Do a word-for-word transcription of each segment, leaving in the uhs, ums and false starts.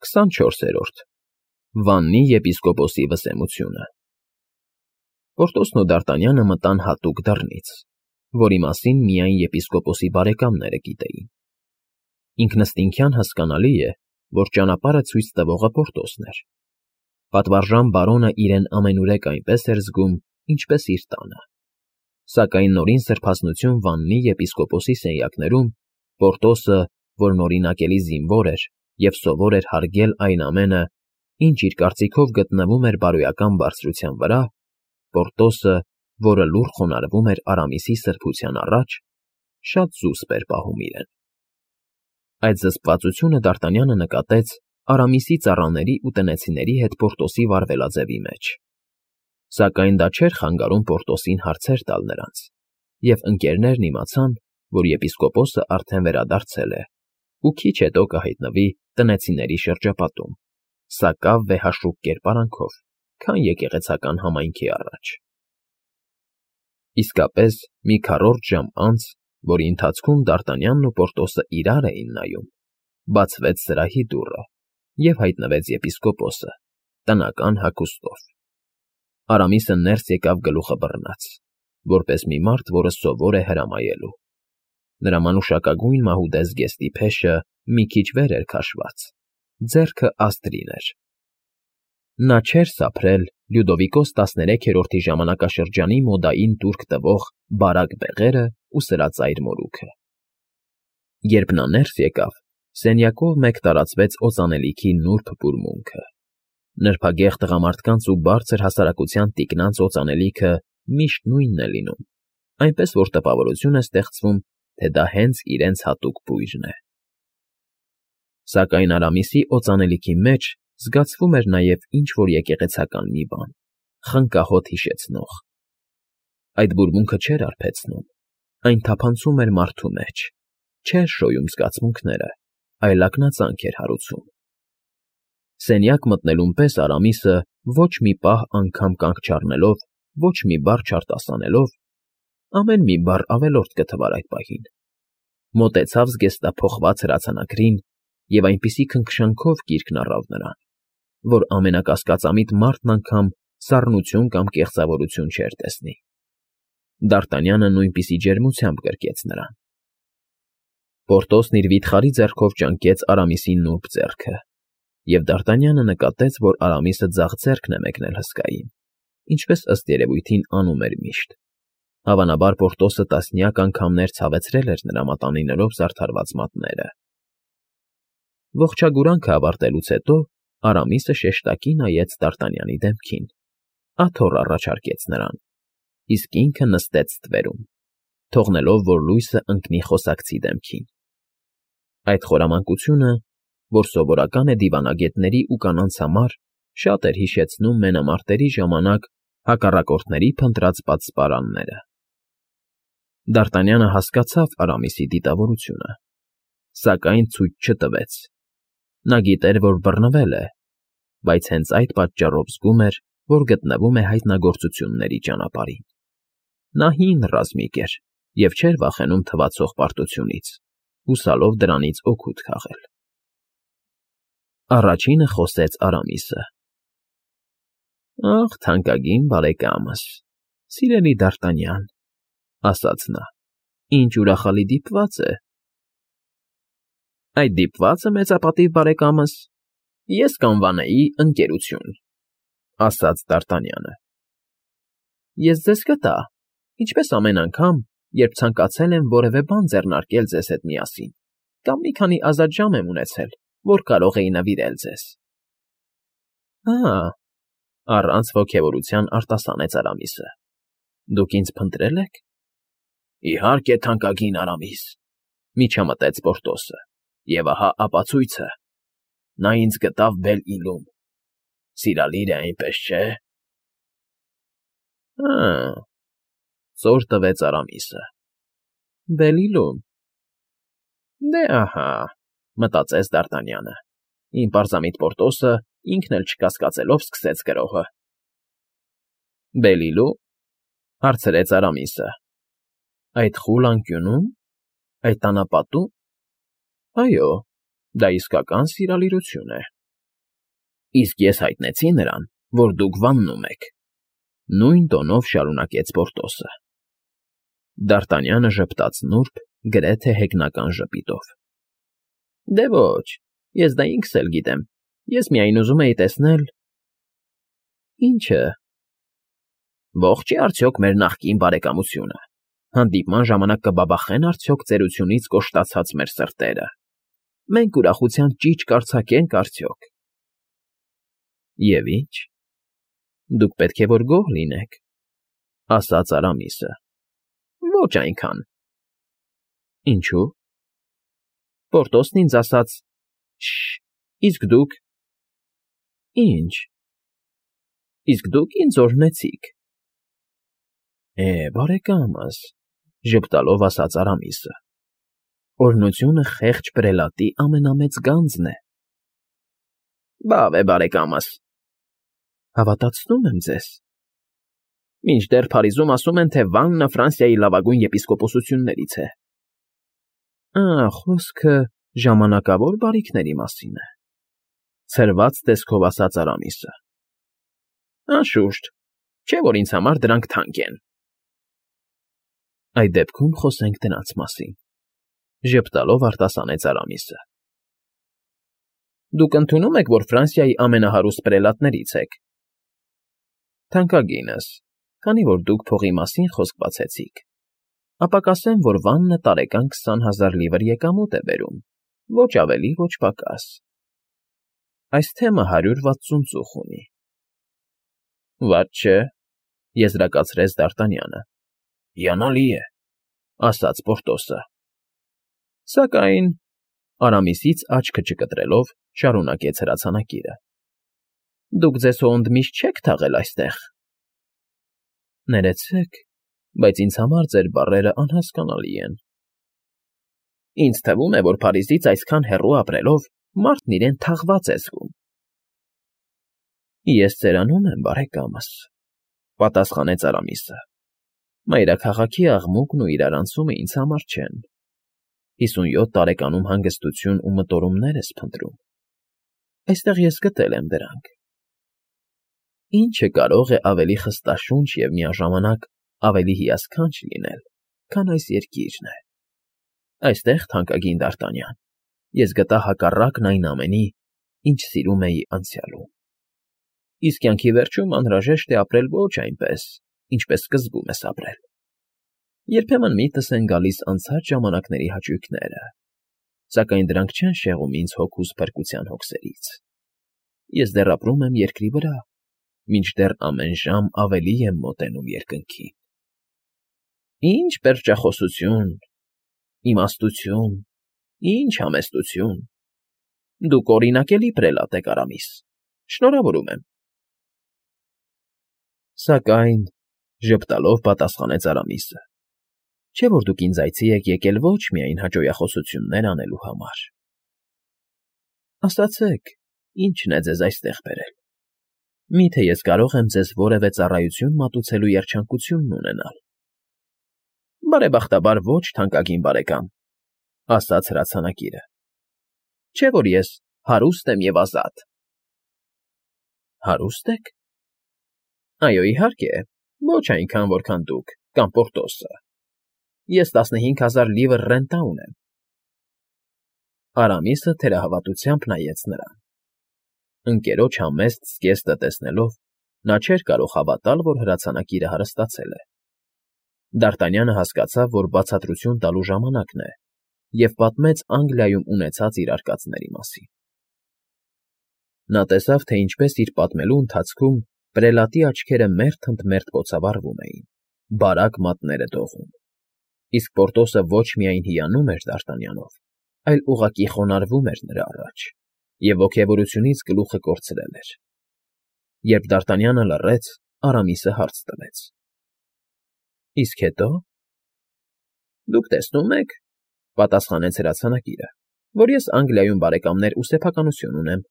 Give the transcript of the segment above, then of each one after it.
քսանչորսերորդ Վաննի եպիսկոպոսի վսեմությունը Պորտոսն ու Դարտանյանը մտան հատուկ դռնից, որի մասին միայն եպիսկոպոսի բարեկամները գիտեին. ինքնըստինքյան հասկանալի է, որ ճանապարհը ցույց տվողը Պորտոսն էր. պատվարժան բարոնը իրեն ամենուրեք այնպես էր զգում, ինչպես իր տանը, սակայն նորին սրբազնություն Վաննի եպիսկոպոսի սենյակներում Պորտոսը, որն օրինակելի զինվոր էր և սովոր էր հարգել այն ամենը, ինչ իր կարծիքով գտնվում էր բարոյական բարձրության վրա, Պորտոսը, որը լուռ խոնարհվում էր Արամիսի սրբության առաջ, շատ զուսպ էր պահում իրեն։ Այդ զսպվածությունը Դարտանյանը նկատեց Արամիսի ծառաների ու տնեցիների հետ Պորտոսի վարվելաձևի մեջ, սակայն դա չէր խանգարում Պորտոսին հարցեր տալ նրանց, և ընկերներն իմացան, որ եպիսկոպոսը արդեն վերադարձել է ու քիչ հետո կհայտնվի տնեցիների շրջապատում, սակավ վեհաշուկ կերպարանքով, քան եկեղեցական համայնքի առաջ։ Իսկապես, մի քառորդ ժամ անց, որի ընթացքում Դարտանյանն ու Պորտոսը իրար էին նայում, բացվեց սրահի դուռը, և հայտնվեց եպիսկոպոսը, տնական հագուստով։ Արամիսը ներս եկավ գլուխը բռնած, որպես մի մարդ, որը սովոր է հրամայելու։ Նրա մանուշակագույն մահուդե զգեստի փեշը մի քիչ վեր էր քաշված, ձեռքը աստրին էր։ Նա չէր սափրել Լյուդովիկոս տասներեքերորդի ժամանակաշրջանի մոդային տուրք տվող բարակ բեղերը ու սրածայր մորուքը։ Երբ նա ներս եկավ, սենյակով մեկ տարածվեց օծանելիքի նուրբ բուրմունքը։ Նրբագեղ տղամարդկանց ու բարձր հասարակության տիկնանց օծանելիքը միշտ նույնն է լինում, այնպես որ տպավորություն է ստեղծվում, թե դա հենց իրենց հատուկ բույրն է։ Սակայն Արամիսի օծանելիքի մեջ զգացվում էր նաև ինչ֊որ եկեղեցական մի բան, խնկահոտ հիշեցնող։ Այդ բուրմունքը չէր արբեցնում, այն թափանցում էր մարդու մեջ, չէր շոյում զգացմունքները, այլ ակնածանք էր հարուցում։ Սենյակ մտնելուն պես Արամիսը ոչ մի պահ անգամ կանգ չառնելով, ոչ մի բառ չարտասանելով, ամեն մի բառ ավելորդ կթվար այդ պահին, մոտեցավ զգեստափոխված հրացանագրին և այնպիսի քնքշանքով կիրքն առավ նրան, որ ամենակասկածամիտ մարդն անգամ սառնություն կամ կեղծավորություն չէր տեսնի։ Դարտանյանը նույնպիսի ջերմությամբ գրկեց նրան։ Պորտոսն իր վիթխարի ձեռքով ճանկեց Արամիսի նուրբ ձեռքը, և Դարտանյանը նկատեց, որ Արամիսը ձախ ձեռքն է մեկնել հսկային, ինչպես ըստ երևույթին անում էր միշտ։ Հավանաբար Պորտոսը տասնյակ անգամներ ցավեցրել էր նրա մատանիներով զարդարված մատները։ Ողջագուրանքը ավարտելուց հետո Արամիսը շեշտակի նայեց Դարտանյանի դեմքին, աթոռ առաջարկեց նրան, իսկ ինքը նստեց ստվերում, թողնելով, որ լույսը ընկնի խոսակցի դեմքին։ Այդ խորամանկությունը, որ սովորական է դիվանագետների ու կանանց համար, շատ էր հիշեցնում մենամարտերի ժամանակ հակառակորդների փնտրած պատսպարանները։ Դարտանյանը հասկացավ Արամիսի դիտավորությունը, սակայն ցույց չտվեց։ Նա գիտեր, որ բռնվել է, բայց հենց այդ պատճառով զգում էր, որ գտնվում է հայտնագործությունների ճանապարհին։ Նա հին ռազմիկ էր և չէր վախենում թվացող պարտությունից, հուսալով դրանից օգուտ քաղել։ Առաջինը խոսեց Արամիսը. «Ախ, թանկագին բարեկամս, սիրելի Դարտանյան, ֊ ասաց նա, ֊ ինչ ուրախալի դիպված է»։ Այդ դիպվածը, մեծապատիվ բարեկամս, ես կանվանեի ընկերություն, ֊ ասաց Դարտանյանը։ Ես ձեզ կտա, ինչպես ամեն անգամ, երբ ցանկացել եմ որևէ բան ձեռնարկել ձեզ հետ միասին, կամ մի քանի ազատ ժամ եմ ունեցել, որ կարող էի նվիրել ձեզ։ Ա՜, ֊ առանց ոգևորության արտասանեց Արամիսը, ֊ դուք ինձ փնտրել եք։ Իհարկե, թանկագին Արամիս, ֊ միջամտեց Պորտոսը, և ահա ապացույցը. նա ինձ գտավ Բել֊Իլում։ Սիրալիր է, այնպես չէ։ Հը, ֊ ծոր տվեց Արամիսը, ֊ Բել֊Իլում։ Դե ահա, ֊ մտածեց Դարտանյանը, իմ պարզամիտ Պորտոսը ինքն էլ չկասկածելով սկսեց գրոհը։ Բել֊Իլու՞մ, ֊ հարցրեց Արամիսը։ Այդ խուլ անկյունո՞ւմ, այդ անապատո՞ւմ։ Այո, դա իսկական սիրալիրություն է։ Իսկ ես հայտնեցի նրան, որ դուք վաննում եք,֊ նույն տոնով շարունակեց Պորտոսը։ Դ'Արտանյանը ժպտաց նուրբ, գրեթե հեգնական ժպիտով։ ֊ Դե ոչ, ես դա ինքս էլ գիտեմ, ես միայն ուզում էի տեսնել… ֊ Ի՞նչը։ ֊ Ողջ է արդյոք մեր նախկին բարեկամությունը, հանդիպման ժամանակ կբաբախե՞ն արդյոք ծերությունից կոշտացած մեր սրտերը, մենք ուրախության ճիչ կարձակե՞նք արդյոք։ ֊ Եվ ի՞նչ, դուք պետք է որ գոհ լինեք,֊ ասաց Արամիսը։ ֊ Ոչ այնքան։ ֊ Ինչո՞ւ։ ֊ Պորտոսն ինձ ասաց… Շ… Իսկ դուք… ֊ Ի՞նչ։ ֊ Իսկ դուք ինձ օրհնեցիք։ ֊ Է, բարեկամս,֊ ժպտալով ասաց Արամիսը,֊ օրհնությունը խեղճ պրելատի ամենամեծ գանձն է։ ֊ Բավ է, բարեկամս։ ֊ Հավատացնում եմ ձեզ։ ֊ Մինչդեռ Փարիզում ասում են, թե Վաննը Ֆրանսիայի լավագույն եպիսկոպոսություններից է։ ֊ Ա, խոսքը ժամանակավոր բարիքների մասին է,֊ ցրված տեսքով ասաց Արամիսը։ ֊ Անշուշտ, չէ՞ որ ինձ համար դրանք թանկ են։ ֊ Այդ դեպքում խոսենք դրանց մասին,֊ ժպտալով արտասանեց Արամիսը։ ֊ Դուք ընդունո՞ւմ եք, որ Ֆրանսիայի ամենահարուստ պրելատներից եք։ ֊ Թանկագինս, քանի որ դուք փողի մասին խոսք բացեցիք, ապա կասեմ, որ Վաննը տարեկան քսան հազար լիվր եկամուտ է բերում, ոչ ավելի, ոչ պակաս։ Այս թեմը հարյուր վաթսուն ծուխ ունի։ ֊ Վատ չէ,֊ եզրակացրեց Դ'Արտանյանը։ ֊ Հիանալի է,֊ ասաց Պորտոսը։ ֊ Սակայն,֊ Արամիսից աչքը չկտրելով, շարունակեց հրացանակիրը,֊ դուք ձեզ հո ընդմիշտ չեք թաղել այստեղ։ ֊ Ներեցեք, բայց ինձ համար ձեր բառերը անհասկանալի են։ ֊ Ինձ թվում է, որ Փարիզից այսքան հեռու ապրելով մարդն իրեն թաղված է զգում։ ֊ Ես ծերանում եմ, բարեկամս,֊ պատասխանեց Արամիսը։ Մայրաքաղաքի աղմուկն ու իրարանցումը ինձ համար չեն։ Հիսունյոթ տարեկանում հանգստություն ու մտորումներ ես փնտրում։ Այստեղ ես գտել եմ դրանք։ Ինչը կարող է ավելի խստաշունչ և միաժամանակ ավելի հիասքանչ լինել, քան այս երկիրն է։ Այստեղ, թանկագին Դ'Արտանյան, ես գտա հակառակն այն ամենի, ինչ սիրում էի անցյալում։ Իսկ կյանքի վերջում անհրաժեշտ է ապրել ոչ այնպես, ինչպես սկզբում ես ապրել։ Երբեմն միտս են գալիս անցած ժամանակների հաճույքները, սակայն դրանք չեն շեղում ինձ հոգուս փրկության հոգսերից։ Ես դեռ ապրում եմ երկրի վրա, մինչդեռ ամեն ժամ ավելի եմ մոտենում երկնքին։ Ինչ պերճախոսություն, իմաստություն, ինչ համեստություն… Դուք օրինակելի պրելատ եք, Արամիս, շնորհավորում եմ։ ֊ Սակայն,֊ ժպտալով պատասխանեց Արամիսը,֊ չէ՞ որ դուք ինձ այցի եք եկել ոչ միայն հաճոյախոսություններ անելու համար։ Ասացեք, ի՞նչն է ձեզ այստեղ բերել։ Մի՞թե ես կարող եմ ձեզ որևէ ծառայություն մատուցելու երջանկությունն ունենալ։ ֊ Բարեբախտաբար ոչ, թանկագին բարեկամ,֊ ասաց հրացանակիրը։ Չէ՞ որ ես հարուստ եմ և ազատ։ ֊ Հարուստ եք։ ֊ Այո, իհարկե, ոչ այնքան, որքան դուք կամ Պորտոսը։ Ես տասնհինգ հազար լիվր ռենտա ունեմ։ Արամիսը թերահավատությամբ նայեց նրան։ Ընկերոջ համեստ զգեստը տեսնելով, նա չէր կարող հավատալ, որ հրացանակիրը հարստացել է։ Դ'Արտանյանը հասկացավ, որ բացատրություն տալու ժամանակն է, և պատմեց Անգլիայում ունեցած իր արկածների մասին։ Նա տեսավ, թե ինչպես իր պատմելու ընթացքում պրելատի աչքերը մերթ ընդ մերթ կոցավառվում էին, բարակ մատները դողում։ Իսկ Պորտոսը ոչ միայն հիանում էր Դ'Արտանյանով, այլ ուղղակի խոնարհվում էր նրա առաջ և ոգևորությունից գլուխը կորցրել էր։ Երբ Դ'Արտանյանը լռեց, Արամիսը հարց տվեց. ֊ Իսկ հետո։ ֊ Դուք տեսնում եք,֊ պատասխանեց հրացանակիրը,֊ որ ես Անգլիայում բարեկամներ ու սեփականություն ունեմ,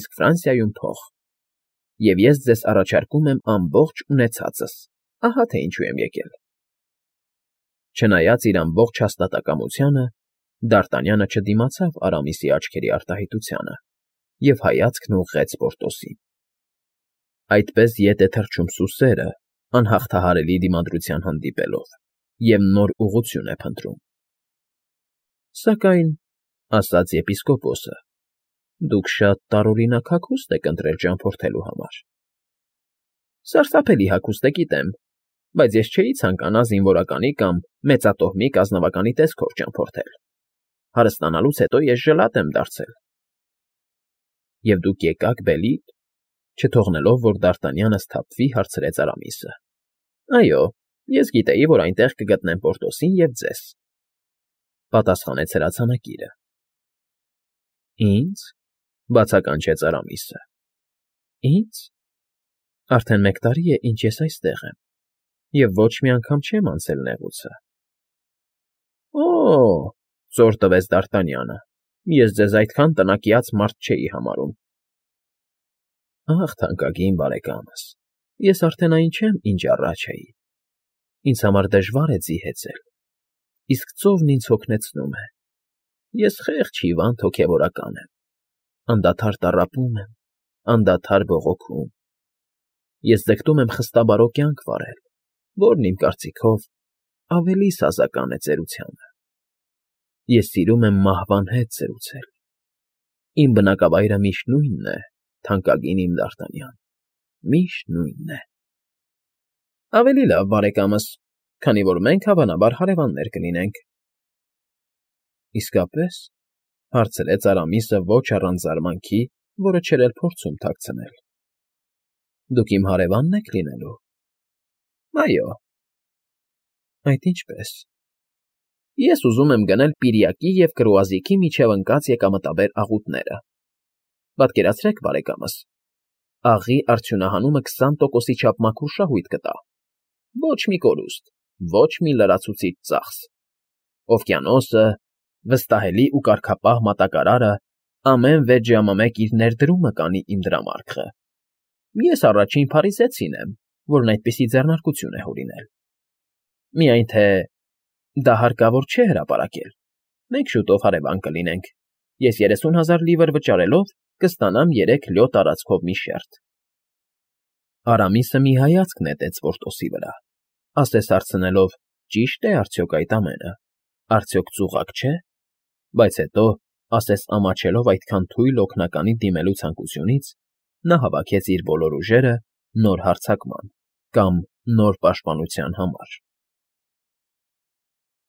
իսկ Ֆրանսիայում՝ փող։ Եվ ես ձեզ առաջարկում եմ ամբողջ ունեցածս, ահա թե ինչու եմ եկել։ Չնայած իր ամբողջ հաստատակամությանը, Դ'Արտանյանը չդիմացավ Արամիսի աչքերի արտահայտությանը և հայացքն ուղղեց Պորտոսին։ Այդպես ետ է թռչում սուսերը, անհաղթահարելի դիմադրության հանդիպելով, և նոր ուղղություն է փնտրում։ ֊ Սակայն, ֊ ասաց եպիսկոպոսը, ֊ դուք շատ տարօրինակ հագուստ եք ընտրել ճամփորդելու համար։ ֊ Սարսափելի հագուստ է, գիտեմ, բայց ես չէի ցանկանա զինվորականի կամ մեծատոհմիկ ազնվականի տեսքով ճամփորդել. հարստանալուց հետո ես ժլատ եմ դարձել։ ֊ Եվ դուք եկաք Բելիդ, չթողնելով, որ Դ'Արտանյանը սթափվի, հարցրեց Արամիսը։ ֊ Այո, ես գիտեի, որ այնտեղ կգտնեմ Պորտոսին և ձեզ, ֊ պատասխանեց հրացանակիրը։ ֊ Ի՞նձ,֊ բացականչեց Արամիսը։ ֊ Ի՞նձ. Արդեն մեկ տարի է, ինչ ես այստեղ եմ, և ոչ մի անգամ չեմ անցել նեղուցը։ ֊ Օ՜օ,֊ զոր տվեց Դ'Արտանյանը,֊ ես ձեզ այդքան տնակյաց մարդ չէի համարում։ ֊ Ախ, թանկագին բարեկամս, ես արդեն այն չեմ, ինչ առաջ էի. ինձ համար դժվար է ձիհեծել, իսկ ծովն ինձ հոգնեցնում է, ես խեղճ հիվանդ հոգևորական եմ, անդադար տառապում եմ, անդադար բողոքում, ես ձգտում եմ խստաբարո կյանք վարել, որն, իմ կարծիքով, ավելի սազական է ծերությանը։ Ես սիրում եմ մահվան հետ զրուցել, իմ բնակավայրը միշտ նույնն է, թանկագին իմ Դ'Արտանյան, միշտ նույնն է։ ֊ Ավելի լավ, բարեկամս, քանի որ մենք, հավանաբար, հարևաններ կլինենք։ ֊ Իսկապե՞ս,֊ հարցրեց Արամիսը ոչ առանց զարմանքի, որը չէր էլ փորձում թաքցնել։ ֊ Դուք իմ հարևա՞նն եք լինելու։ ֊ Այո։ ֊ Այդ ինչպե՞ս։ ֊ Ես ուզում եմ գնել Պիրիակի և Կրուազիկի միջև ընկած եկամտաբեր աղուտները։ Պատկերացրեք, բարեկամս, աղի արդյունահանումը քսան տոկոսի չափ մաքուր շահույթ կտա, ոչ մի կորուստ, ոչ մի լրացուցիչ ծախս, օվկիանոսը, վստահելի ու կարգապահ մատակարարը ամեն վեց ժամը մեկ իր ներդրումը կանի իմ դրամարկղը։ Ես առաջին փարիզեցին եմ, որն այդպիսի ձեռնարկություն է հորինել։ Միայն թե դա հարկավոր չէ հրապարակել, մենք շուտով հարևան կլինենք, ես երեսուն հազար լիվր վճարելով կստանամ երեք լյո տարածքով մի շերտ։ Արամիսը մի հայացք նետեց Պորտոսի վրա, ասես հարցնելով. ճի՞շտ է արդյոք այդ ամենը, արդյոք ծուղակ չէ, բայց հետո, ասես ամաչելով այդքան թույլ օգնականի դիմելու ցանկությունից, նա հավաքեց իր բոլոր ուժերը նոր հարձակման կամ նոր պաշտպանության համար։